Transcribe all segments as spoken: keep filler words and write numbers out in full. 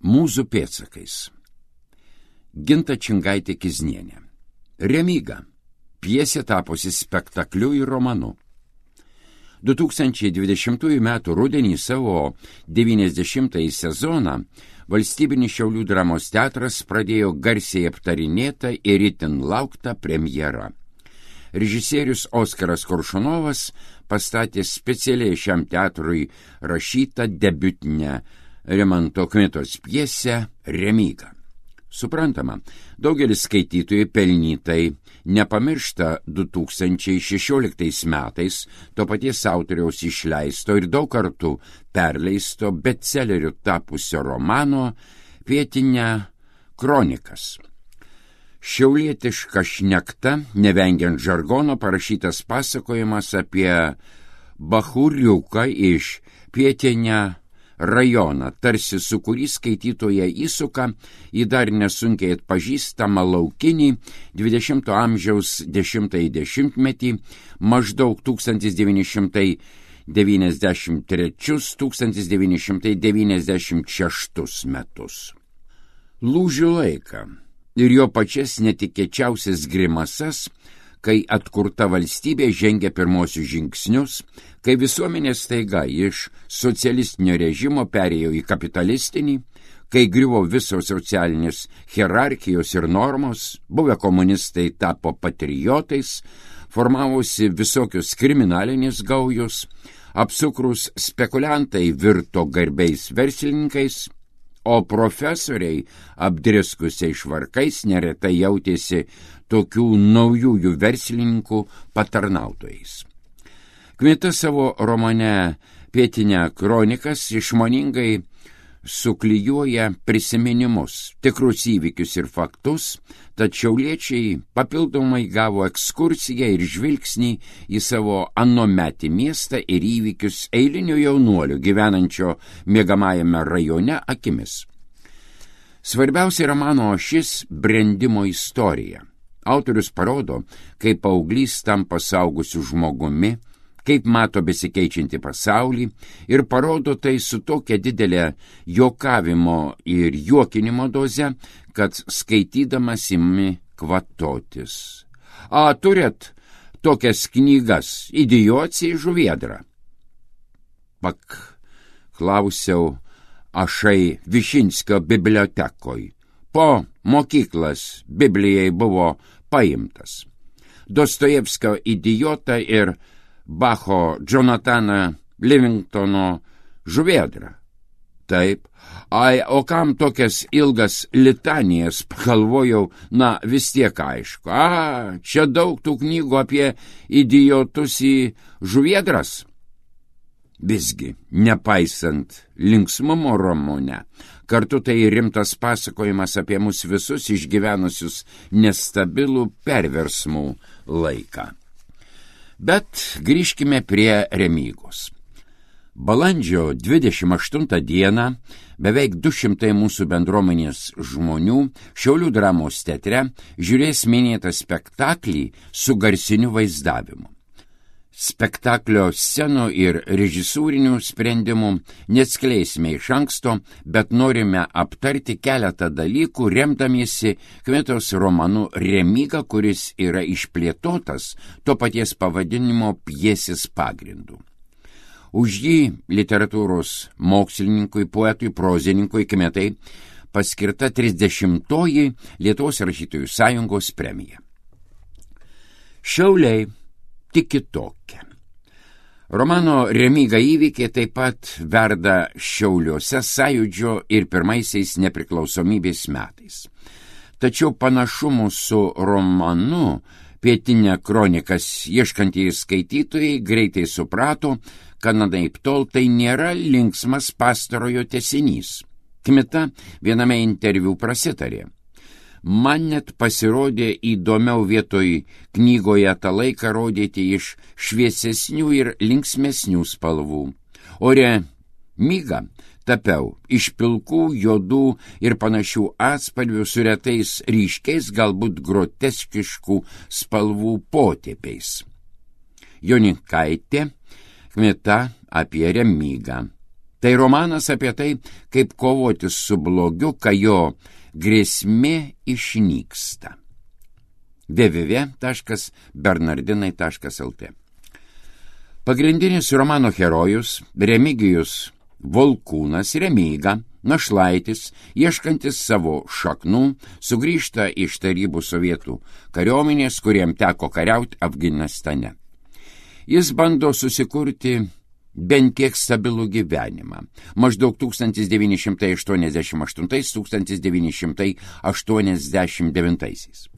Mūzų pėdsakais. Ginta Čingaitė Kiznienė. Remyga. Pjesė tapusi spektakliu ir romanu. du tūkstančiai dvidešimtųjų metų rudenį savo devyniasdešimtąjį sezoną Valstybinis Šiaulių dramos teatras pradėjo garsiai aptarinėtą ir itin lauktą premjerą. Režisierius Oskaras Koršunovas pastatė specialiai šiam teatrui rašytą debiutinę Rimanto Kmitos pjesę Remyga. Suprantama, daugelis skaitytojų pelnytai nepamiršta du tūkstančiai šešioliktais metais to paties autoriaus išleisto ir daug kartų perleisto bestseleriu tapusio romano Pietinė kronikas. Šiaulietiška šnekta, nevengiant žargono, parašytas pasakojimas apie bachūriuką iš Pietinę rajoną, tarsi su kurį skaitytoje įsuka į dar nesunkiai atpažįstamą laukinį dvidešimto amžiaus dešimtąjį dešimtmetį, maždaug tūkstantis devyni šimtai devyniasdešimt trečius - tūkstantis devyni šimtai devyniasdešimt šeštus metus. Lūžių laiką ir jo pačias netikėčiausias grimasas, kai atkurta valstybė žengia pirmosius žingsnius, kai visuomenė staiga iš socialistinio režimo perėjo į kapitalistinį, kai griuvo visos socialinės hierarchijos ir normos, buvę komunistai tapo patriotais, formavosi visokios kriminalinės gaujos, apsukrus spekuliantai virto garbiais verslininkais, o profesoriai apdriskusiai švarkais neretai jautėsi tokių naujųjų verslininkų patarnautojais. Kmita savo romane Pietinė kronikas išmoningai suklijuoja prisiminimus, tikrus įvykius ir faktus, tad šiauliečiai papildomai gavo ekskursiją ir žvilgsnį į savo anuometį miestą ir įvykius eilinio jaunuolio gyvenančio miegamajame rajone akimis. Svarbiausia romano ašis – brendimo istorija. Autorius parodo, kaip paauglys tampa suaugusiu žmogumi, kaip mato besikeičiantį pasaulį ir parodo tai su tokia didelė juokavimo ir juokinimo doze, kad skaitydamas imi kvatotis. A, turit tokias knygas Idiocija žuvėdra? Pak, klausiau ašai Višinskio bibliotekoj. Po mokyklas Biblijai buvo paimtas. Dostojevskio Idiotą ir Bacho Jonathaną Livingtono žuvėdrą. Taip, ai, o kam tokias ilgas litanijas, pagalvojau, na vis tiek aišku. A, čia daug tų knygų apie idiotus į žuvėdras. Visgi, nepaisant linksmumo romane, kartu tai rimtas pasakojimas apie mus visus išgyvenusius nestabilų perversmų laiką. Bet grįžkime prie Remygos. Balandžio dvidešimt aštuntą dieną beveik du šimtai mūsų bendruomenės žmonių Šiaulių dramos teatre žiūrės minėtą spektaklį su garsiniu vaizdavimu. Spektaklio scenų ir režisūrinių sprendimų neatskleisime iš anksto, bet norime aptarti keletą dalykų, remdamiesi Kmitos romanu Remyga, kuris yra išplėtotas to paties pavadinimo pjesės pagrindu. Už jį literatūros mokslininkui, poetui, prozininkui Kmitai paskirta trisdešimtoji Lietuvos rašytojų sąjungos premija. Šiauliai tik kitokia. Romano Remyga įvykiai taip pat verda Šiauliuose Sąjūdžio ir pirmaisiais nepriklausomybės metais. Tačiau panašumų su romanu Pietinė kronikas ieškantieji skaitytojai greitai suprato, kad anaiptol tai nėra linksmas pastarojo tęsinys. Kmita viename interviu prasitarė. Man net pasirodė įdomiau vietoj knygoje tą laiką rodyti iš šviesesnių ir linksmesnių spalvų. O Remygą tapiau iš pilkų, juodų ir panašių atspalvių su retais ryškiais, galbūt groteskiškų spalvų potėpiais. Joninkaitė, Kmita apie Remygą. Tai romanas apie tai, kaip kovoti su blogiu, kai jo grėsmė išnyksta. w w w taškas bernardinai taškas l t. Pagrindinis romano herojus Remigijus Volkūnas Remyga, našlaitis, ieškantis savo šaknų, sugrįžta iš tarybų sovietų kariuomenės, kuriem teko kariauti Afganistane. Jis bando susikurti bent kiek stabilų gyvenimą. Maždaug tūkstantis devyni šimtai aštuoniasdešimt aštuntais - tūkstantis devyni šimtai aštuoniasdešimt devintais.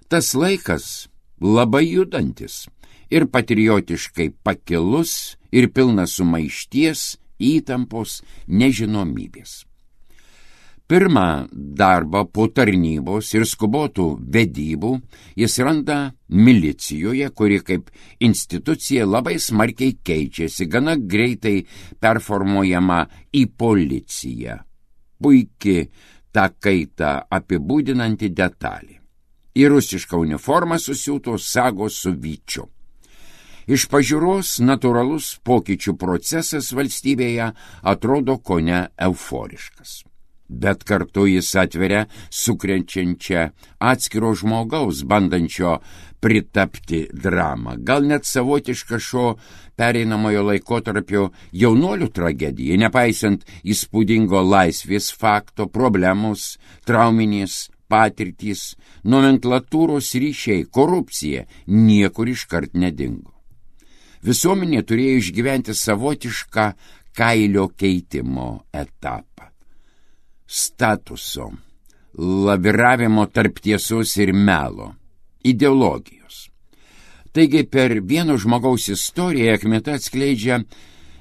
Tas laikas labai judantis ir patriotiškai pakilus ir pilnas sumaišties, įtampos, nežinomybės. Pirmą darbą po tarnybos ir skubotų vedybų jis randa milicijoje, kuri kaip institucija labai smarkiai keičiasi, gana greitai performuojama į policiją. Puiki tą kaitą apibūdinanti detalė. Į rusišką uniformą susiūtos sagos su vyčiu. Iš pažiūros natūralus pokyčių procesas valstybėje atrodo kone euforiškas. Bet kartu jis atveria sukrenčiančią atskiro žmogaus, bandančio pritapti dramą. Gal net savotiška šio pereinamojo laikotarpio jaunuolių tragedija, nepaisant įspūdingo laisvės fakto, problemos, trauminės patirtys, nomenklatūros ryšiai, korupcija niekur iškart nedingo. Visuomenė turėjo išgyventi savotišką kailio keitimo etapą. Statuso, laviravimo tarp tiesos ir melo, ideologijos. Taigi per vieno žmogaus istoriją Akhmeta atskleidžia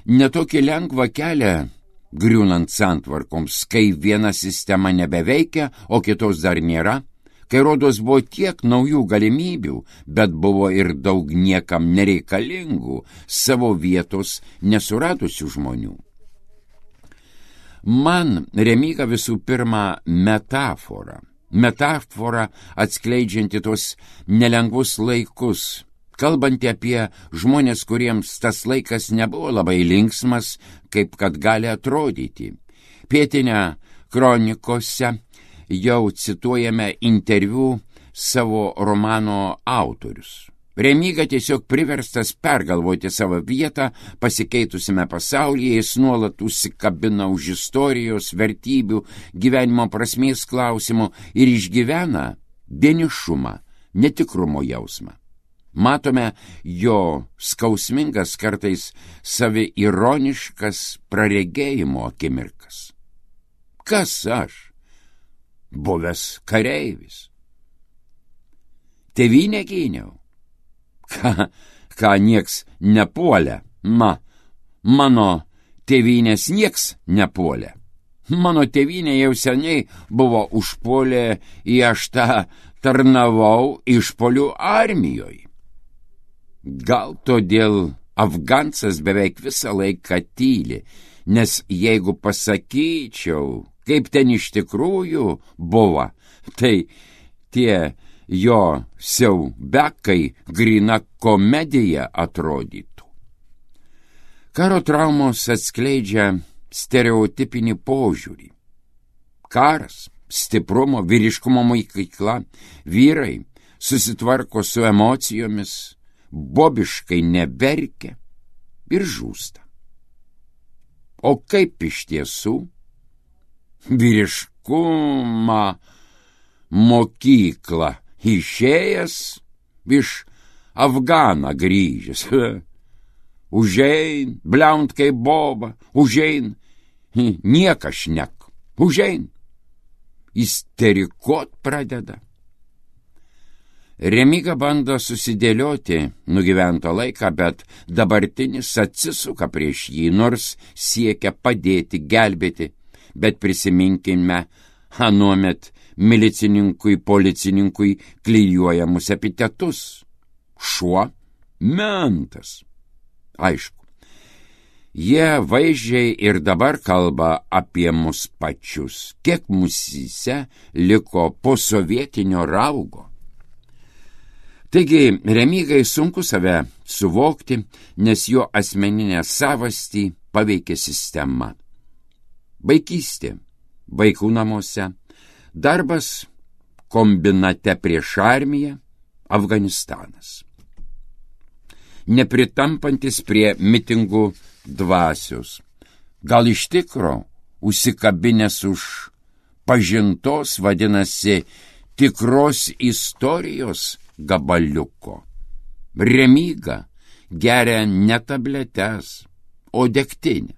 netokį lengvą kelią griūnant santvarkoms, kai viena sistema nebeveikia, o kitos dar nėra, kai rodos buvo tiek naujų galimybių, bet buvo ir daug niekam nereikalingų savo vietos nesuradusių žmonių. Man Remyga visų pirma metafora. Metafora atskleidžianti tos nelengvus laikus, kalbanti apie žmonės, kuriems tas laikas nebuvo labai linksmas, kaip kad gali atrodyti. Pietinė kronikose jau cituojame interviu savo romano autorius. Remyga tiesiog priverstas pergalvoti savo vietą pasikeitusiame pasaulyje, jis nuolat užsikabina už istorijos, vertybių, gyvenimo prasmės klausimų ir išgyvena vienišumą, netikrumo jausmą. Matome jo skausmingas, kartais saviironiškas praregėjimo akimirkas. Kas aš? Buvęs kareivis. Tėvynę gyniau. Ką, ką nieks nepuolė, ma, mano tėvynės nieks nepuolė. Mano tėvynė jau seniai buvo užpuolė, į aš tą tarnavau išpolių armijoje. Gal todėl Afgansas beveik visą laiką tyli, nes jeigu pasakyčiau, kaip ten iš tikrųjų buvo, tai tie jo siaubekai grina komedija atrodytų. Karo traumos atskleidžia stereotipinį požiūrį. Karas, stiprumo, vyriškumo mokykla, vyrai susitvarko su emocijomis, bobiškai neverkia ir žūsta. O kaip iš tiesų? Vyriškumą mokyklą išėjęs iš Afganą grįžęs. Užein, bliaunt kaip boba, užein, niekas šnek, užein. Isterikot pradeda. Remyga bando susidėlioti nugyventą laiką, bet dabartinis atsisuka prieš jį, nors siekia padėti, gelbėti, bet prisiminkime anuomet milicininkui, policininkui klijuojamus epitetus. Šuo, mentas. Aišku, jie vaizdžiai ir dabar kalba apie mus pačius, kiek musyse liko posovietinio raugo. Taigi, Remygai sunku save suvokti, nes jo asmeninę savastį paveikė sistema. Vaikystė vaikų namuose, darbas kombinate prieš armiją, Afganistanas. Nepritampantis prie mitingų dvasios, gal iš tikro užsikabinęs už pažintos, vadinasi, tikros istorijos gabaliuko. Remyga geria ne tabletes, o degtinę.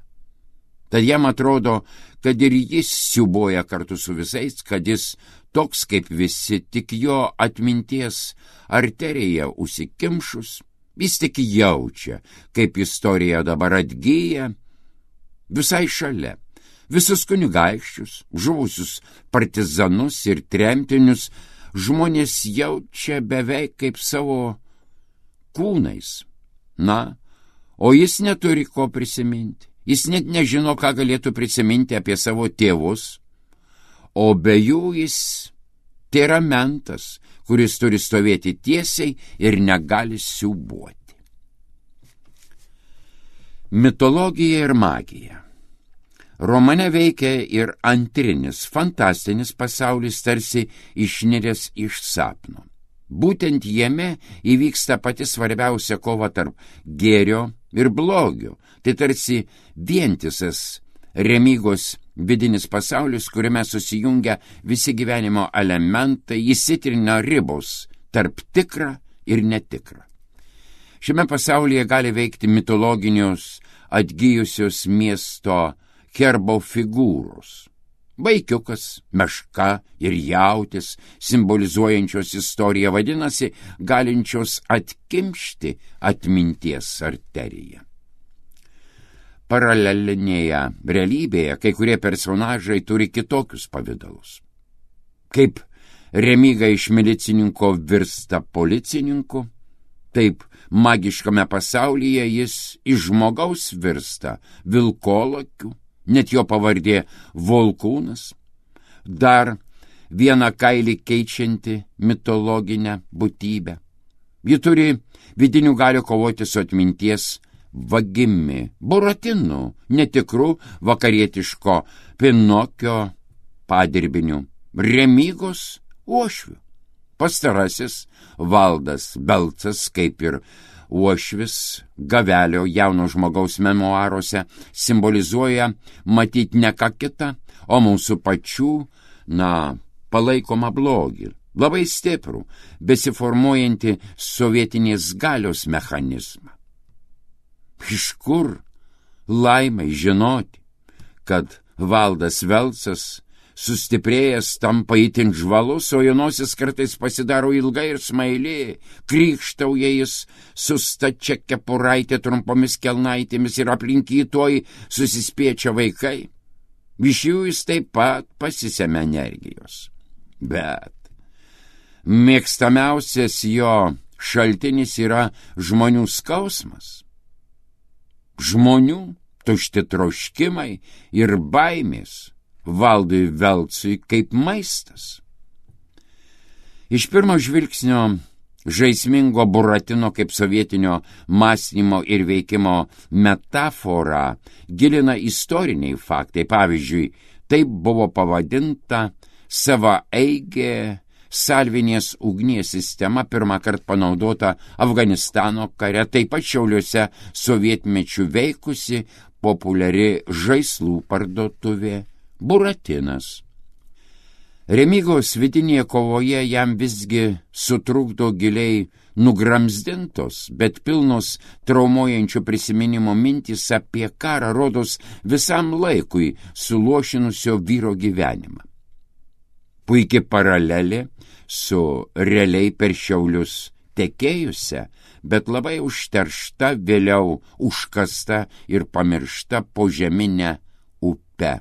Tad jam atrodo, kad ir jis siuboja kartu su visais, kad jis toks kaip visi, tik jo atminties arterija užsikimšus, jis tik jaučia, kaip istorija dabar atgyja visai šalia. Visus kunigaikščius, žuvusius partizanus ir tremtinius žmonės jaučia beveik kaip savo kūnais. Na, o jis neturi ko prisiminti. Jis net nežino, ką galėtų prisiminti apie savo tėvus, o be jų jis tėra mentas, kuris turi stovėti tiesiai ir negali siūbuoti. Mitologija ir magija. Romane veikia ir antrinis, fantastinis pasaulis, tarsi išniręs iš sapno. Būtent jame įvyksta pati svarbiausia kova tarp gėrio ir blogio. Tai tarsi vientisas Remygos vidinis pasaulis, kuriame susijungia visi gyvenimo elementai, įsitrina ribos tarp tikra ir netikra. Šiame pasaulyje gali veikti mitologinius atgijusios miesto herbo figūros. Vaikiukas, meška ir jautis, simbolizuojančios istoriją, vadinasi, galinčios atkimšti atminties arteriją. Paralelinėje realybėje kai kurie personažai turi kitokius pavidalus. Kaip Remyga iš milicininko virsta policininku, taip magiškame pasaulyje jis iš žmogaus virsta vilkolakiu, net jo pavardė Volkūnas, dar vieną kailį keičianti mitologinę būtybę. Ji turi vidinių galių kovoti su atminties vagimi, Buratinu, netikru vakarietiško Pinokio padirbiniu, Remygos uošviu. Pastarasis Valdas Belcas, kaip ir uošvis Gavelio jauno žmogaus memuaruose, simbolizuoja matyt ne ką kitą, o mūsų pačių, na, palaikomą blogį, labai stiprų, besiformuojantį sovietinės galios mechanizmą. Iš kur laimai žinoti, kad Valdas Belcas sustiprėjęs tampa itin žvalus, o jo nosis kartais pasidaro ilga ir smaili, krykštauja jis su stačia kepuraitė, trumpomis kelnaitėmis ir aplink jį tuoj susispiečia vaikai. Iš jų jis taip pat pasisemia energijos. Bet mėgstamiausias jo šaltinis yra žmonių skausmas. Žmonių tušti troškimai ir baimės Valdui Belcui kaip maistas. Iš pirmo žvilgsnio žaismingo Buratino kaip sovietinio mąstymo ir veikimo metaforą gilina istoriniai faktai. Pavyzdžiui, taip buvo pavadinta savaeigė salvinės ugnies sistema, pirmą kartą panaudota Afganistano kare, taip pat Šiauliuose sovietmečių veikusi populiari žaislų parduotuvė Buratinas. Remygos vidinėje kovoje jam visgi sutrukdo giliai nugramzdintos, bet pilnos traumuojančių prisiminimo mintys apie karą, rodos visam laikui suluošinusio vyro gyvenimą. Puikiai paralelė su realiai per Šiaulius tekėjusia, bet labai užteršta, vėliau užkasta ir pamiršta požeminė upe.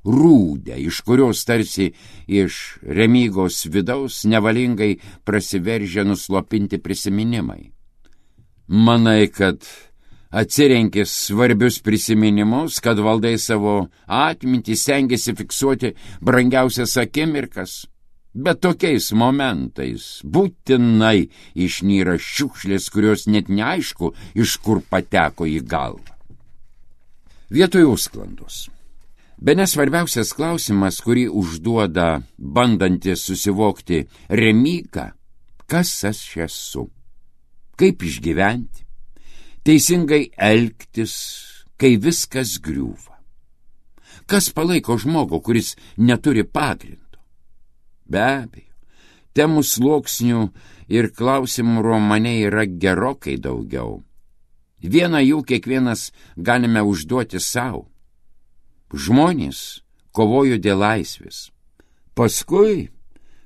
Rūdę, iš kurios tarsi iš Remygos vidaus nevalingai prasiveržia nuslopinti prisiminimai. Manai, kad atsirenki svarbius prisiminimus, kad valdai savo atmintį, stengiasi fiksuoti brangiausias akimirkas. Bet tokiais momentais būtinai išnyra šiukšlės, kurios net neaišku, iš kur pateko į galvą. Vietoj užsklandos. Bene svarbiausias klausimas, kurį užduoda bandantis susivokti Remyga, kas aš esu, kaip išgyventi, teisingai elgtis, kai viskas griūva. Kas palaiko žmogų, kuris neturi pagrindo? Be abejo, temų sluoksnių ir klausimų romane yra gerokai daugiau. Vieną jų kiekvienas galime užduoti savo. Žmonės kovojo dėl laisvės. Paskui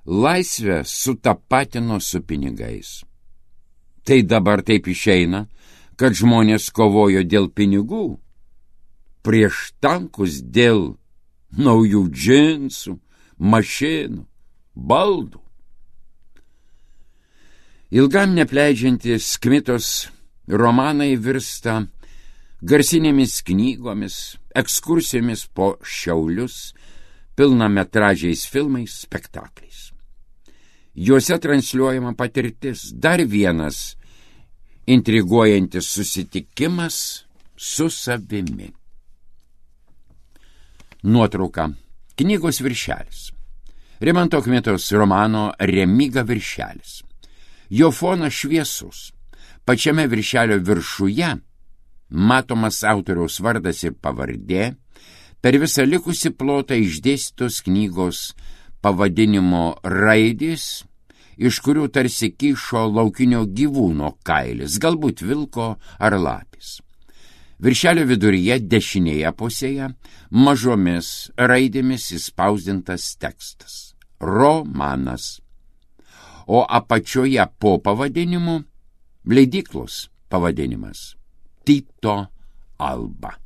laisvę sutapatino su pinigais. Tai dabar taip išeina, kad žmonės kovojo dėl pinigų, prieš tankus dėl naujų džinsų, mašinų, baldų. Ilgam nepleidžiantis Kmitos romanai virsta garsinėmis knygomis, ekskursijomis po Šiaulius, pilnametražiais filmais, spektakliais. Juose transliuojama patirtis, dar vienas intriguojantis susitikimas su savimi. Nuotrauka. Knygos viršelis. Rimanto Kmitos romano Remyga viršelis. Jo fonas šviesus. Pačiame viršelio viršuje matomas autoriaus vardas ir pavardė, per visą likusį plotą išdėstytos knygos pavadinimo raidės, iš kurių tarsi kyšo laukinio gyvūno kailis, galbūt vilko ar lapis. Viršelio viduryje dešinėje pusėje mažomis raidėmis įspausdintas tekstas. Romanas. O apačioje po pavadinimu leidyklos pavadinimas. Tyto Alba.